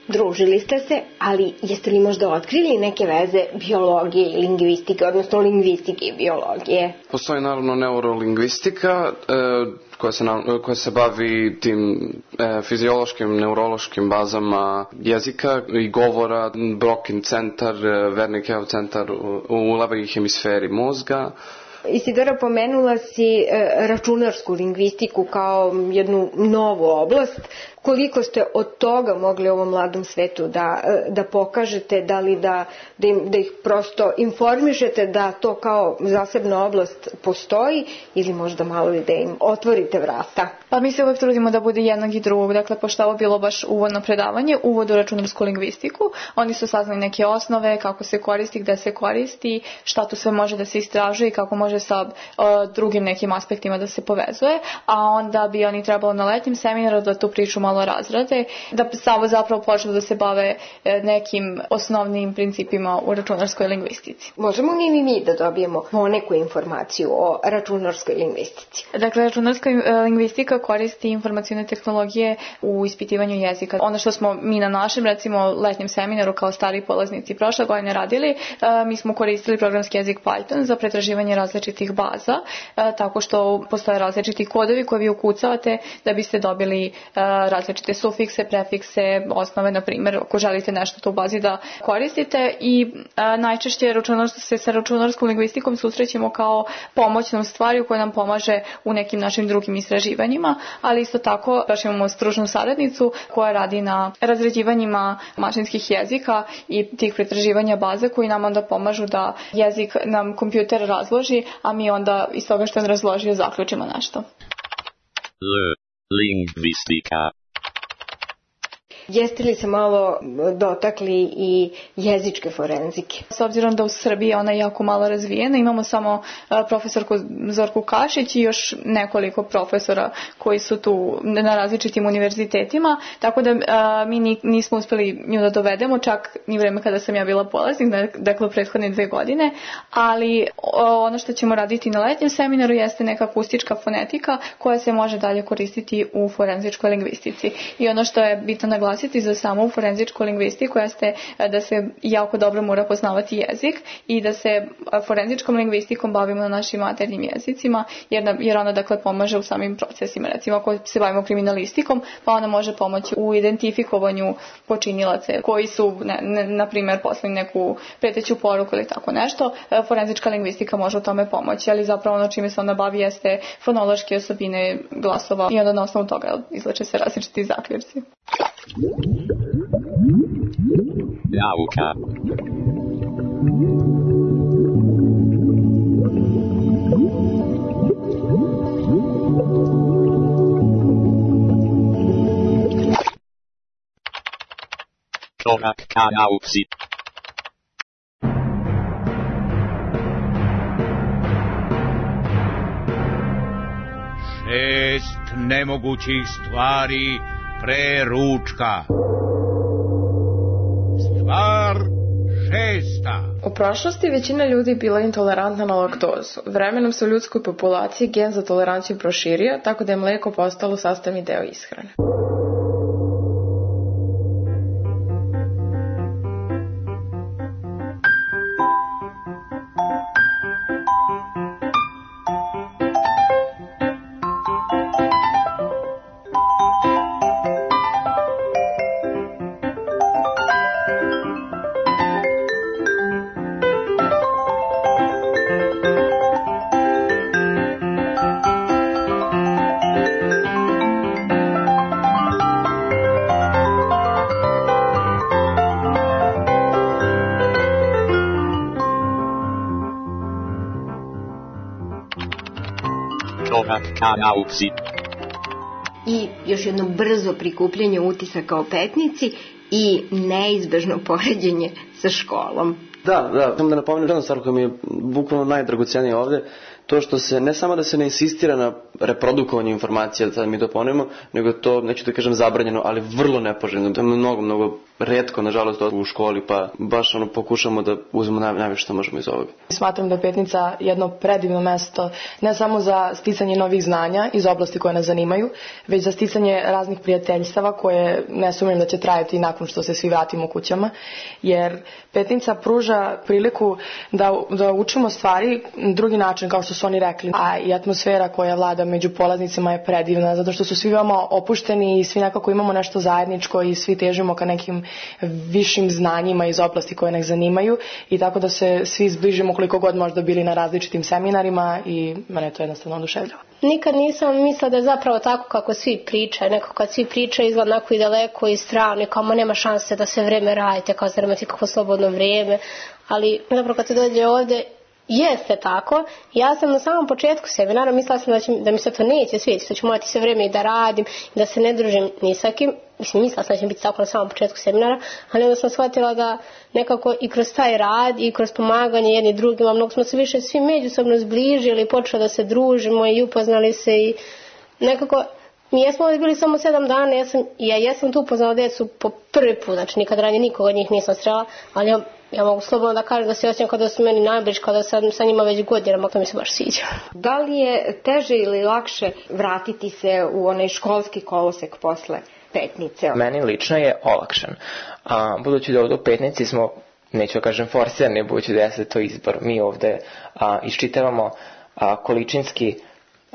Družili ste se, ali jeste li možda otkrili neke veze biologije i lingvistike, odnosno lingvistike i biologije? Postoji naravno neurolingvistika e, koja, se, koja se bavi tim e, fiziološkim, neurološkim bazama jezika i govora, Brokin centar, Wernickeov centar u, u levoj hemisferi mozga. Isidora, pomenula si e, računarsku lingvistiku kao jednu novu oblast. Koliko ste od toga mogli ovom mladom svetu da, da pokažete, da li da, da, im, da ih prosto informišete da to kao zasebna oblast postoji ili možda malo da im otvorite vrata? Pa mi se uvek trudimo da bude jednog i drugog. Dakle, pošto ovo bilo baš uvodno predavanje, uvod u računarsku lingvistiku, oni su saznali neke osnove, kako se koristi, gde se koristi, šta tu sve može da se istražuje i kako može sa uh, drugim nekim aspektima da se povezuje, a onda bi oni trebalo na letnjem seminaru da tu priču malo razrade, da samo zapravo počnu da se bave nekim osnovnim principima u računarskoj lingvistici. Možemo li mi, mi da dobijemo poneku informaciju o računarskoj lingvistici? Dakle, računarska lingvistika koristi informacione tehnologije u ispitivanju jezika. Ono što smo mi na našem, recimo, letnjem seminaru kao stari polaznici prošle godine radili, mi smo koristili programski jezik Python za pretraživanje različitih baza, tako što postoje različiti kodovi koje vi ukucavate da biste dobili različite sufikse, prefikse, osnove, na primjer, ako želite nešto to u bazi da koristite i a, najčešće se sa računarskom lingvistikom susrećemo kao pomoćnom stvari koja nam pomaže u nekim našim drugim istraživanjima, ali isto tako baš imamo stručnu saradnicu koja radi na razređivanjima mašinskih jezika i tih pretraživanja baze koji nam onda pomažu da jezik nam kompjuter razloži, a mi onda iz toga što je razložio zaključimo nešto. L. Lingvistika. Jeste li se malo dotakli i jezičke forenzike? S obzirom da u Srbiji ona je jako malo razvijena, imamo samo profesorku Zorku Kašić i još nekoliko profesora koji su tu na različitim univerzitetima, tako da a, mi nismo uspeli nju da dovedemo, čak ni vreme kada sam ja bila polaznik, dakle prethodne dve godine, ali ono što ćemo raditi na letnjem seminaru jeste neka akustička fonetika koja se može dalje koristiti u forenzičkoj lingvistici. I ono što je bitno naglasiti za samu forenzičku lingvistiku jeste da se jako dobro mora poznavati jezik i da se forenzičkom lingvistikom bavimo na našim maternjim jezicima, jer, jer ona dakle pomaže u samim procesima. Recimo ako se bavimo kriminalistikom, pa ona može pomoći u identifikovanju počinilaca koji su, ne, ne, na primjer, poslali neku preteću poruku ili tako nešto. Forenzička lingvistika može u tome pomoći, ali zapravo ono čime se ona bavi jeste fonološke osobine glasova i onda na osnovu toga izlače se različiti zaključci. Nauka. Korak ka nauci. Šest nemogućih stvari pre ručka. Stvar šesta. U prošlosti većina ljudi bila intolerantna na laktozu. Vremenom se u ljudskoj populaciji gen za toleranciju proširio, tako da je mlijeko postalo sastavni deo ishrane. Korak ka nauci. I još jedno brzo prikupljanje utisaka o Petnici i neizbežno poređenje sa školom. Da, da, samo da napomenem jednu stvar koja mi je bukvalno najdragocenija ovde, to što se, ne samo da se ne insistira na reprodukovanje informacija, da sad mi to ponovimo, nego to, neću da kažem zabranjeno, ali vrlo nepoželjno. To je mnogo, mnogo retko, nažalost, u školi, pa baš ono pokušamo da uzmemo naj, najviše što možemo iz ovoga. Smatram da je Petnica jedno predivno mesto, ne samo za sticanje novih znanja iz oblasti koje nas zanimaju, već za sticanje raznih prijateljstava koje ne sumnjam da će trajati nakon što se svi vratimo kućama, jer Petnica pruža priliku da, da učimo stvari drugi način, kao što su oni rekli, a i atmosfera koja vlada među polaznicima je predivna, zato što su svi veoma opušteni i svi nekako imamo nešto zajedničko i svi težimo ka nekim višim znanjima iz oblasti koje nas zanimaju i tako da se svi zbližimo koliko god možda bili na različitim seminarima i mene to jednostavno oduševljava. Nikad nisam mislila da je zapravo tako kako svi pričaju, neko kad svi pričaju izgleda onako i daleko i strano, kao ma nema šanse da se vreme radite, kao da imate kako slobodno vrijeme, ali zapravo kad se dođe ovde jeste tako. Ja sam na samom početku seminara mislila sam da, će, da mi se to neće svidjeti, da ću morati sve vrijeme i da radim, da se ne družim ni sa kim. Mislim, mislila sam da će biti tako na samom početku seminara, ali onda sam shvatila da nekako i kroz taj rad i kroz pomaganje jedni drugima, mnogo smo se više svi međusobno zbližili, počeli da se družimo i upoznali se i nekako mi jesmo ovdje bili samo sedam dana, ja, sam, ja jesam tu upoznala djecu po prvi put, znači nikad ranije nikoga od njih nisam srela, ali ja, ja mogu slobodno da kažem da se osjećam kada su meni najbliži, kada sam sa njima već godinama, to mi se baš sviđa. Da li je teže ili lakše vratiti se u onaj školski kolosek posle Petnice? Meni lično je olakšan. A, budući da ovdje u Petnici smo, neću da kažem forsirani, budući da jeste to izbor, mi ovdje a, iščitavamo a, količinski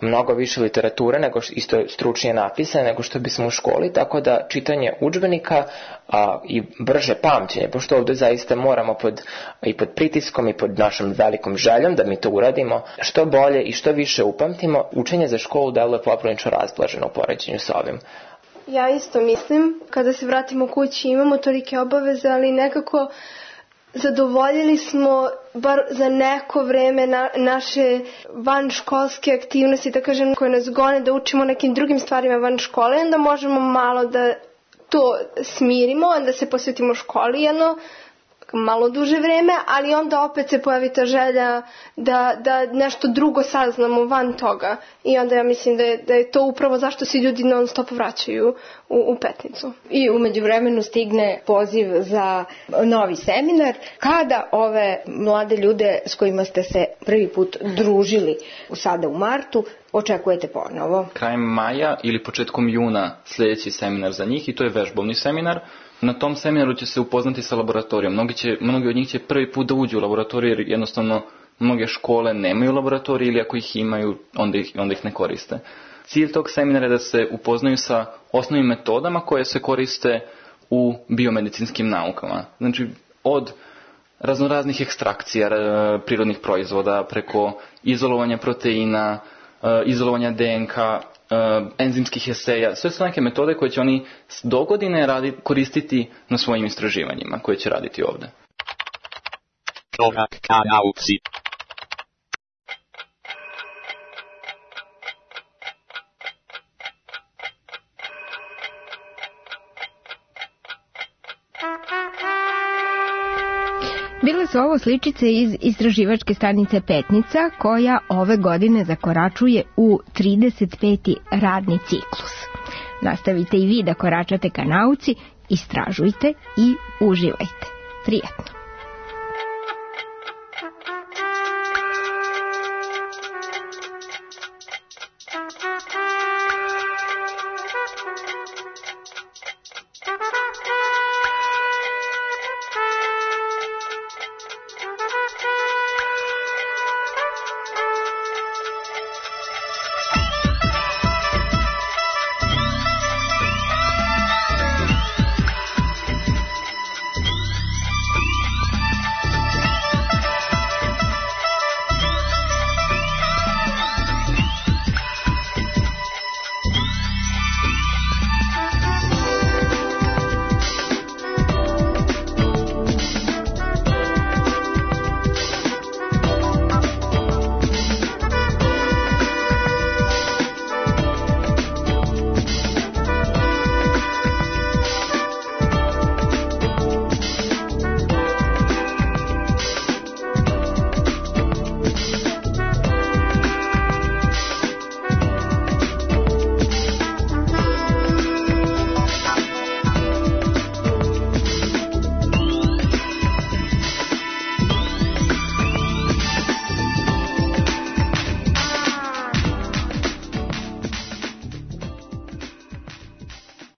mnogo više literature, nego što isto stručnije napisane, nego što bismo u školi, tako da čitanje udžbenika a, i brže pamćenje, pošto ovdje zaista moramo pod, i pod pritiskom i pod našom velikom željom da mi to uradimo, što bolje i što više upamtimo, učenje za školu deluje poprilično razblaženo u poređenju sa ovim. Ja isto mislim, kada se vratimo kući imamo tolike obaveze, ali nekako zadovoljili smo bar za neko vreme na, naše vanškolske aktivnosti, da kažem, koje nas gone da učimo nekim drugim stvarima van škole, onda možemo malo da to smirimo, onda se posvetimo školi jedno malo duže vreme, ali onda opet se pojavi ta želja da, da nešto drugo saznamo van toga i onda ja mislim da je, da je to upravo zašto se ljudi non stop vraćaju u, u Petnicu. I u međuvremenu stigne poziv za novi seminar. Kada ove mlade ljude s kojima ste se prvi put družili sada u martu očekujete ponovo? Krajem maja ili početkom juna sljedeći seminar za njih i to je vežbovni seminar. Na tom seminaru će se upoznati sa laboratorijom. Mnogi, će, mnogi od njih će prvi put da uđu u laboratoriju jer jednostavno mnoge škole nemaju laboratorije ili ako ih imaju onda ih, onda ih ne koriste. Cilj tog seminara je da se upoznaju sa osnovnim metodama koje se koriste u biomedicinskim naukama. Znači od raznoraznih ekstrakcija prirodnih proizvoda preko izolovanja proteina, izolovanja D N K, Uh, enzimskih eseja, sve su neke metode koje će oni do godine radi, koristiti na svojim istraživanjima koje će raditi ovdje. Korak ka nauci. Bile su ovo sličice iz istraživačke stanice Petnica, koja ove godine zakoračuje u trideset peti radni ciklus. Nastavite i vi da koračate ka nauci, istražujte i uživajte. Prijetno!